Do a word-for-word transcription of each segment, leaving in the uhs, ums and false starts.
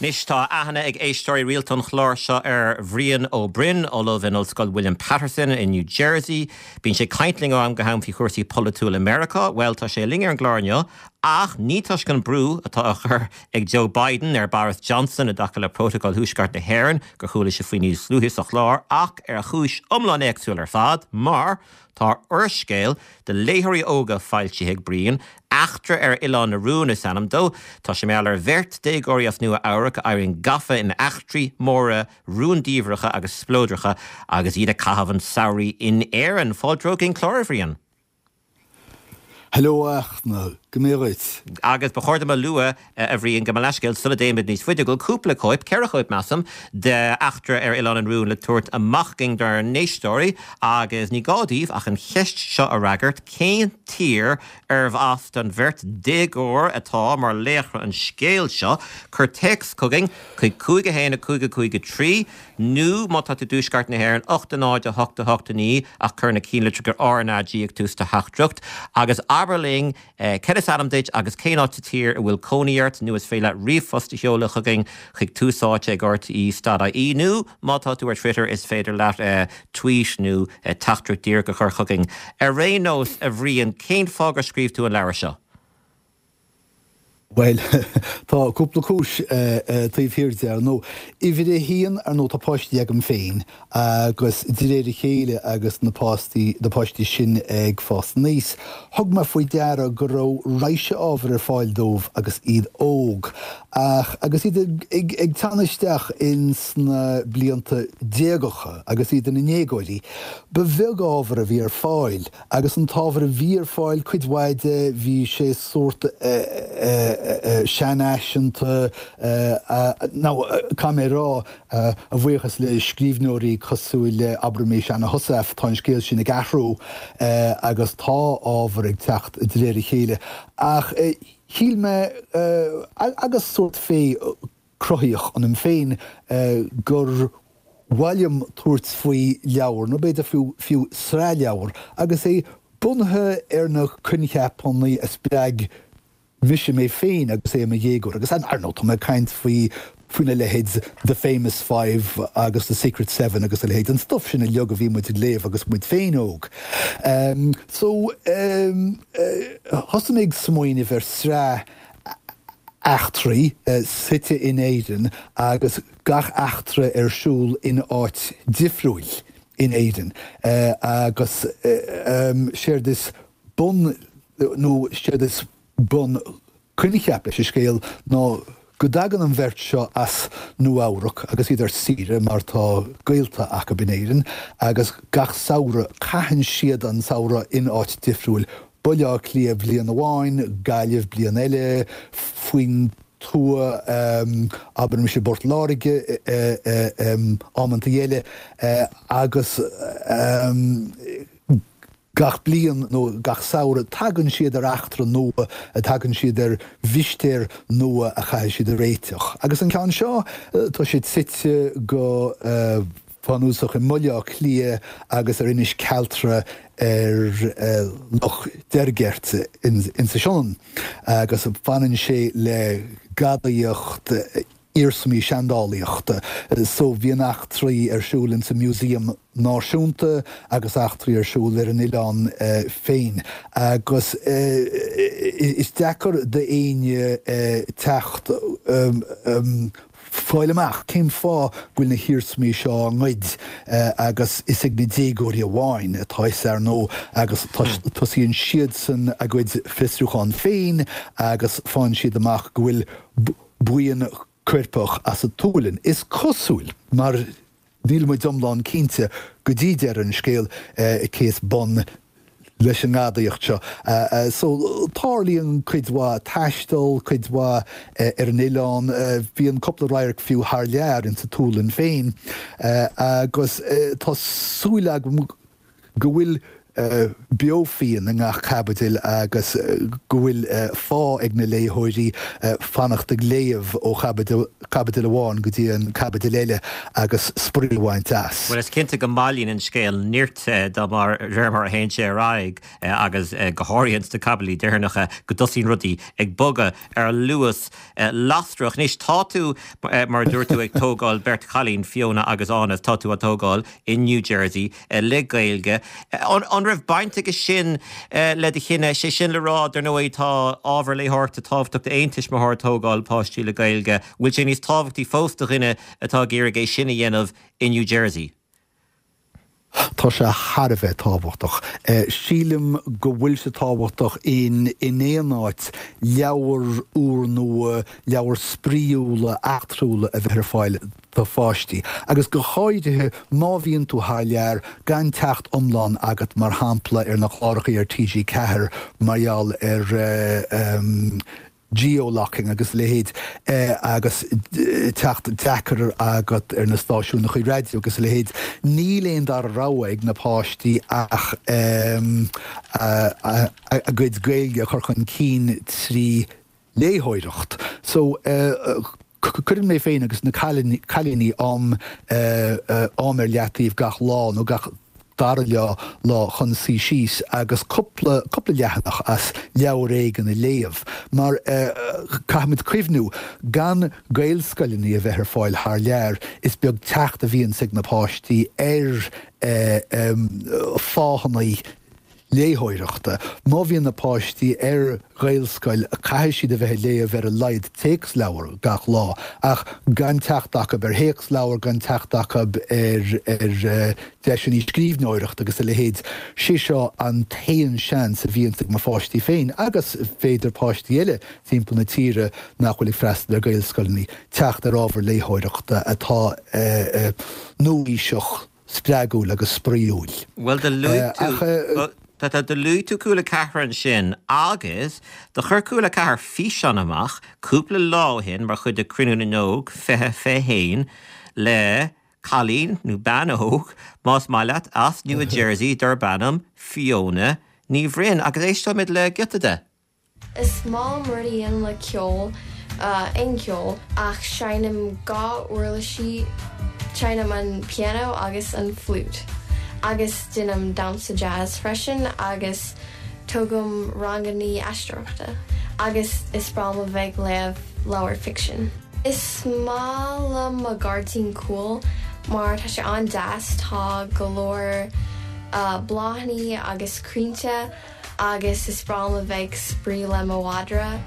Anois tá aithne ag éisteoirí rialta an chláir seo ar Bhrian Ó Broin, ollamh in Ollscoil William Patterson in New Jersey. Bíonn sé ag caint linn ó am go ham faoi chúrsaí polaitiúla i Meiriceá. Well tá sé linn ar an gclár inniu, ach ní toisc an brú atá á chur ag Joe Biden ar Boris Johnson i dtaca le Prótacal Thuaisceart na hÉireann gur chuala sibh faoi níos luaithe sa chlár ach ar chúis iomlán éagsúil ar fad, mar tá úrscéal do léitheoirí óga foilsithe ag Brian, Eachtra ar Oileán na Rún is ainm dó. Tá sé mar gheall ar bheirt déagóirí as Nua Eabhrac a éiríonn gafa in eachtraí móra rúndiamhracha agus spleodracha agus iad ag caitheamh an tsamhraidh in Éirinn. Fáilte chuig an chlár, a Bhriain. Hello a Fhachtna, go mbeidh duit. Agus ba chóir dom a lua a Bhriain gabh mo leithscéal sula dtéimid níos faide go bhfuil cúpla cóip, ceithre chóip measaim, de Eachtra ar Oileán an Rúin le tabhairt amach againn dár n-éisteoirí agus ní gá daoibh ach an cheist seo a fhreagairt, cén tír arbh as don bheirt déagóir atá mar laochra an scéil seo? Cuir téacs chugainn chuig cúig a haon a cúig a cúig a trí nó má tá tú i dtuaisceart na hÉireann, ocht a náid a hocht a hocht a naoi ach cuir na cinnlitreacha RnaG ag tús do theachtaireacht agus abair linn cad is ainm duit agus cén áit sa tír a bhfuil cónaí ort nó is féidir leat ríomhphost a sheoladh chugainn chuig tús áite ag rte dot ie nó má tá tú ar Twitter is féidir leat tweet nó teachtaireacht díreach a chur chugainn. Ar aon nós, a Bhriain, cén fáth gur scríobh tú an leabhar seo? Bhuel, tá cúpla cúis taobh thiar de, ar ndóigh. Uimhir a haon, ar ndóigh, tá páistí agam féin agus de réir a chéile agus na páistí, na páistí sin ag fás aníos, thug mé faoi deara go raibh raidhse ábhair ar fáil dóibh agus iad óg. Ach agus iad ag, ag teannadh isteach ins na blianta déagacha agus iad ina ndéagóirí, ba bheag ábhar a bhí ar fáil. Agus an t-ábhar a bhí ar fáil, cuid mhaith de, bhí sé sórt seanfhaiseanta, nó caithfidh mé a rá, a bhuíochas le scríbhneoirí cosúil le, abraimis, Anna Heussaff, tá an scéal sin ag athrú agus tá ábhar ag teacht de réir a chéile. Ach shíl mé, agus sórt féith cruthaíoch ionam féin, gur mhaith liom tabhairt faoi leabhar, nó b'fhéidir fiú, fiú sraith leabhar, agus é bunaithe ar na coincheapanna a spreag mise mé féin agus é i mo dhéagóir. Agus ar ndóigh, tá mé ag caint faoi, faoina leithéid The Famous Five agus The Secret Seven agus a leithéid, an stuif sin uilig a bhí muid ag léamh agus muid féin óg. So, thosaigh mé ag smaoineamh ar sraith eachtraí suite in Éirinn agus gach eachtra ar siúl in áit difriúil in Éirinn agus séard is bun nó séard is bun coincheap leis an scéal ná go dtagann an bheirt seo as Nua Eabhrac agus iad ar saoire mar tá gaolta acu in Éirinn agus gach samhradh caitheann siad an samhradh in áit difriúil Baile Átha Cliath bliain amháin, Gaillimh bliain eile, faoin tuath, abraimis i bPort Láirge amantaí eile, agus gach bliain nó gach samhradh tagann siad ar eachtra nua, tagann siad ar mhistéir nua a chaithfidh siad a réiteach. Agus an ceann seo, tá siad suite go. bunúsach i mBaile Átha Cliath agus ar Inis Cealtra ar Loch Deirgeirt insa Sionainn agus baineann sé le gadaíocht iarsmaí seandálaíochta. So bíonn eachtraí ar siúl insa Museum Náisiúnta agus eachtraí ar siúl ar an oileán féin agus is deacair d'éinne teacht fáil amach cén fáth go bhfuil na hiarsmaí seo á ngoid agus is ag na déagóirí amháin atá fhios ar ndóigh agus tosaíonn siadsan a gcuid fiosrúchán féin agus faigheann siad amach go bhfuil buíon coirpeach as an tSualainn, is cosúil, mar níl muid iomlán cinnte go dtí deireadh an scéil cé is bun leis an ngadaíocht seo. So, tarlaíonn cuid mhaith taistil, cuid mhaith ar an oileán, bíonn cúpla radharc fiú thar lear, insa tSualainn féin, agus tá súil agam go bhfuil beo fiáin i ngach caibidil agus go bhfuil fáth ag na léitheoirí fanacht ag léamh ó chaibidil amháin go dtí an caibidil eile agus spraoi a bhaint as. Bhuel, is cinnte go mbailíonn an scéal nirt de mar réir mar a théann sé ar aghaidh agus go háirithe sna caibidlí deireanacha go dtosaíonn rudaí ag bogadh ar luas lasrach. Anois tá tú, mar a dúirt tú, ag tógáil beirt chailín, Fiona agus Áine, tá tú á dtógáil i New Jersey le Gaeilge. An raibh baint aige sin le do chinneadh? Sé sin le rá, dar ndóigh, tá ábhar léitheoireachta tábhachtach d'aon tuismitheoir ag tógáil páistí le Gaeilge. Bhfuil sé níos tábhachtaí fós do dhuine atá ag iarraidh é sin a dhéanamh i New Jersey? Tá sé thar a bheith tábhachtach. Sílim go bhfuil sé tábhachtach in in aon áit leabhair úrnua, leabhair spraíúla, eachtrúla a bheith ar fáil do pháistí. Agus go háirithe má bhíonn tú thar lear, gan teacht iomlán agat mar shampla ar na cláracha ar T G Ceathair mar gheall ar geo-locking agus a leithéid agus teacht deacair agat ar na stáisiúnacha raidió agus a leithéid. Níl aon dara rogha ag na páistí ach a gcuid Gaeilge a chur chun cinn trí léitheoireacht. So cuireann mé féin agus na cailíní am am ar leataobh gach lá nó gach dara lá lá chun suí síos agus cúpla cúpla leathanach as leabhar éigin a léamh. Mar caithfimid cuimhniú, gan Gaelscoileanna a bheith ar fáil thar lear, is beag teacht a bhíonns ag na páistí ar fáthanna léitheoireachta. Má bhíonn na páistí ar Ghaelscoil, caithfidh siad a bheith ag léamh ar a laghad téacsleabhar gach lá, ach gan teacht acu ar théacsleabhar, gan teacht acu ar ar deiseanna scríbhneoireachta agus a leithéid, sé seo an t-aon seans a bhíonns ag mo pháistí féin, agus b'fhéidir páistí eile timpeall na tíre nach bhfuil ag freastal ar Ghaelscoileanna, teacht ar ábhar léitheoireachta atá nua-aoiseach, spreagúil agus spraíúil. Bhuel, do luaigh tú Tá tá do luaigh tú Cúla Ceathair ansin agus do chuir Cúla Ceathair físeán amach cúpla lá ó shin mar chuid de Cruinniú na nÓg fiche fiche haon le cailín nó bean óg, más maith leat, as Nua Jersey darb ainm Fiona Ní Bhroin agus éisteoimid le giota de. Is maith liom rudaí a dhéanamh le ceol, aon cheol, ach seinnim dhá uirlisí, seinnim an pianó agus an fliút. Agus déanaim damhsa jazz freisin agus tógaim ranganna aisteoireachta. Agus is breá liom a bheith ag léamh leabhar ficsin. Is maith liom mo ghairdín cúil mar tá sé an-deas, tá go leor bláthanna agus crainnte agus is breá liom a bheith ag spraoi le mo mhadra.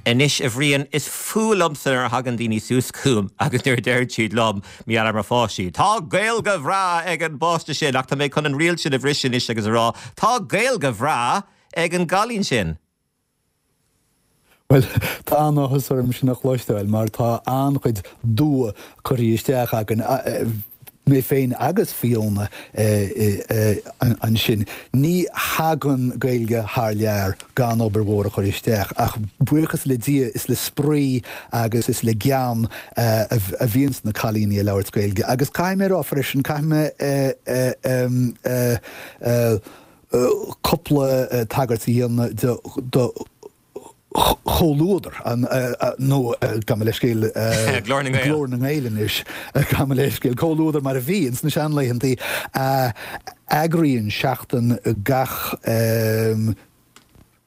Anois, a Bhriain, is fuath liomsa nuair a thagann daoine suas chugam agus nuair a deireann siad liom, mar gheall ar mo pháistí, 'Tá Gaeilge bhreá ag an bpáiste sin', ach tá mé chun an riail sin a bhriseadh anois agus a rá, 'Tá Gaeilge bhreá ag an gcailín sin'. Bhuel, tá an-áthas orm sin a chloisteáil mar tá an-chuid dua curtha isteach againn, mé féin agus Fiona ansin. Ní thagann Gaeilge thar lear gan obair mhór a chur isteach, ach buíochas le Dia is le spraoi agus is le gean a bhíonns na cailíní ag labhairt Gaeilge. Agus caithfidh mé a rá freisin, caithfidh mé cúpla tagairt a dhéanamh do Chomhluadar, nó gabh mo leithscéal, Glór na nGael. Glór na nGael anois, gabh mo leithscéal, Comhluadar mar a bhí ins na seanlaethantaí, a eagraíonn seachtain gach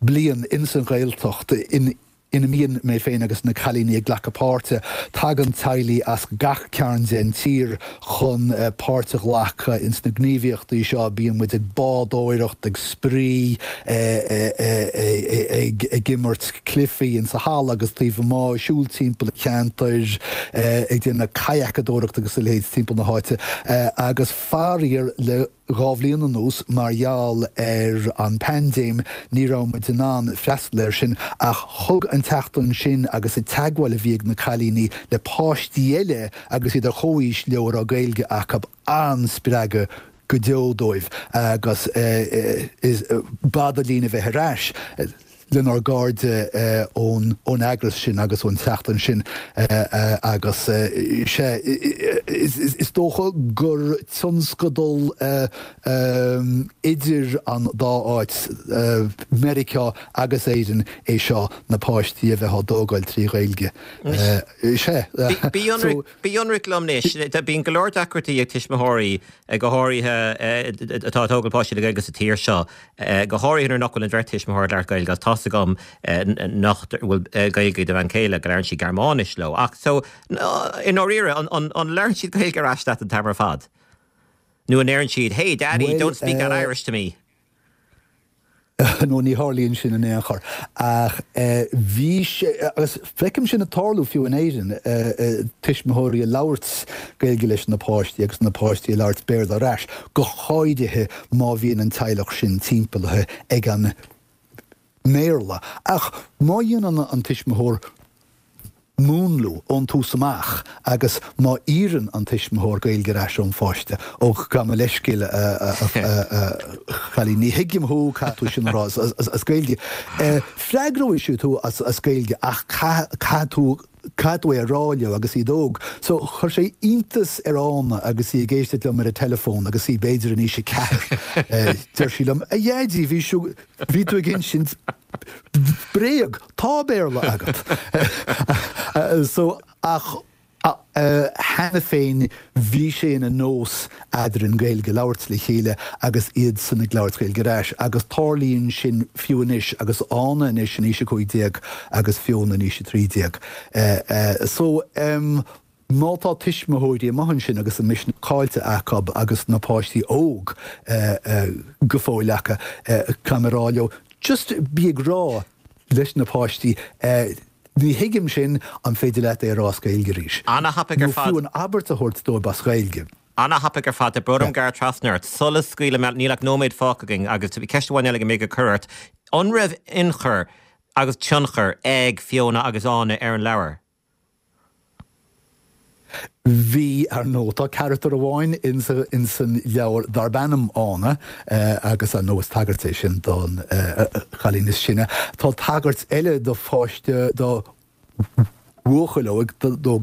bliain ins an Ghaeltacht in ina mbíonn mé féin agus na cailíní ag glacadh páirte. Tagann teaghlaigh as gach cearn den tír chun páirt a ghlacadh ins na gníomhaíochtaí seo. Bíonn muid ag bádóireacht, ag spraoi, ag imirt cluichí insa halla agus taobh amuigh, ag siúl timpeall an cheantair, ag déanamh kayakadóireacht agus a leithéid timpeall na háite. Agus faraor le dhá bhliain anuas, mar gheall ar an bpaindéim, ní raibh muid in ann freastal air sin, ach thug an tseachtain sin agus an teagmháil a bhí ag na cailíní le páistí eile agus iad ar chomhaois leo a raibh Gaeilge acu an-spreagadh go deo dóibh agus is b'fhada linn a bheith ar ais. lenár gcairde ón ón eagras sin agus ón tseachtain sin agus sé is dócha gur tionscadal idir an dá áit Meiriceá agus Éirinn é seo na páistí a bheith á dtógáil trí Ghaeilge. Sé. Bí ionraic liom anois, bíonn go leor deacrachtaí ag tuismitheoirí go háirithe atá ag tógáil páistí le Gaeilge sa tír seo, go háirithe nuair nach bhfuil an bheirt tuismitheoir ag labhairt Gaeilge agus tá's agam nach bhfuil Gaeilge ag do bhean chéile, go labhrann sí Gearmáinis leo. Ach so i ndáiríre, an labhrann siad Gaeilge ar ais leat an t-am ar fad? Nó an ndeireann siad, hey daddy, don't speak that Irish to me? nó ní tharlaíonn sin in aon chor. Ach bhí sé, agus feicim sin ag tarlú fiú in Éirinn, tuismitheoirí ag labhairt Gaeilge leis na páistí agus na páistí ag labhairt Béarla ar ais, go háirithe má bhíonn an teaghlach sin timpeallaithe ag an mBéarla. Ach má dhéanann an tuismitheoir múnlú ón tús amach agus má iarrann an tuismitheoir Gaeilge ar ais ón pháiste, ó gabh mo leithscéal a chailín, ní thuigim thú, caithfidh tú sin a rá as Gaeilge. Freagróidh siad thú as Gaeilge ach caithfidh tú caithfidh tú é a rá leo agus iad óg. So chuir sé iontas ar Ána agus í ag éisteacht liom ar an teileafón agus í b'fhéidir in aois a ceathair. Deir sí liom, A Dhaidí, bhí bhí tú ag insint bréag, tá Béarla agat. So ach cheana féin bhí sé ina nós eadrainn Gaeilge a labhairt le chéile agus iadsan ag labhairt Gaeilge ar ais agus tarlaíonn sin fiú anois agus Ána anois in aois a cúig déag agus Fiona in aois a trí déag. So má tá tuismitheoirí amuigh ansin agus an misneach caillte acu agus na páistí óg go fóill acu, caithfidh mé a rá leo, just bí ag rá leis na páistí, ní thuigim sin, an féidir leat é a rá as Gaeilge arís? Ana-thapaidh ar Nó fad. fiú an abairt a thabhairt dóibh as Gaeilge. Ana-thapaidh ar fad. Tá brón orm gearradh trasna ort. Sula scaoilim leat, níl ach nóiméad fágtha againn agus ceist amháin eile go mbeidh ag cur ort. An raibh ionchur agus tionchar ag Fiona agus Ána ar an leabhar? Bhí, ar ndóigh. Tá carachtar amháin insan leabhar darb ainm Ána agus ar ndóigh is tagairt é sin don chailín is sine. Tá tagairt eile do pháiste, do bhuachaill óg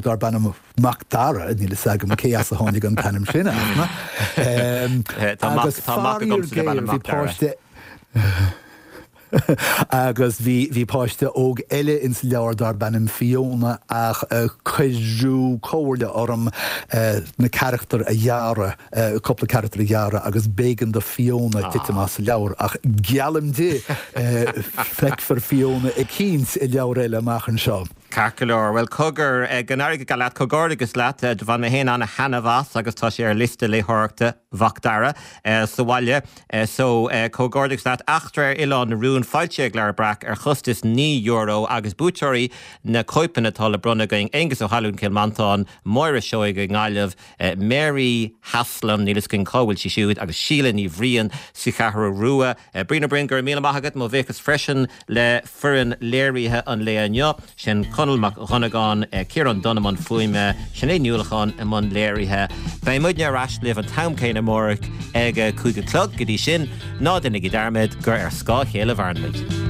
darb ainm Mac Dara, níl fhios agam cé as a tháinig an t-ainm sin, ach. Agus faraor géar bhí páiste. Agus bhí, bhí páiste óg eile ins an leabhar darb ainm Fiona ach cuireadh comhairle orm na carachtair a ghearradh, cúpla carachtar a ghearradh agus b'éigean do Fiona titim as an leabhar ach geallaim di, feicfear Fiona eicínt i leabhar eile amach anseo. Ceart go leor. Bhuel, cogar, go n-éirí go geal leat, comhghairdeas leat. Do bhain mé féin ana-thaitneamh as agus tá sé ar liosta léitheoireachta Mhac Dara sa bhaile. So, comhghairdeas leat. Eachtra ar Oileán na Rún, foilsithe ag Leabhar Breac ar chostas naoi euro agus buaiteoirí na cóipeanna atá le bronnadh againn, Aengus Ó hAlmhain, Cill Mhantáin, Máire Seoighe i nGaillimh, Mary Haslam, níl fhios againn cá bhfuil sí siúd, agus Síle Ní Bhriain sa Cheathrú Rua. Brian Ó Broin, go raibh míle maith agat. Mo bhuíochas freisin le foireann léirithe an lae inniu, sin Conall Mac Dhonnagáin, Ciarán Dunne i mbun fuaime, Sinéad Ní Uallacháin i mbun léirithe. Beidh muidne ar ais libh an t-am céanna amárach ag a cúig a chlog. Go dtí sin, ná déanaigí dearmad gur ar scáth a chéile a mhaireann muid.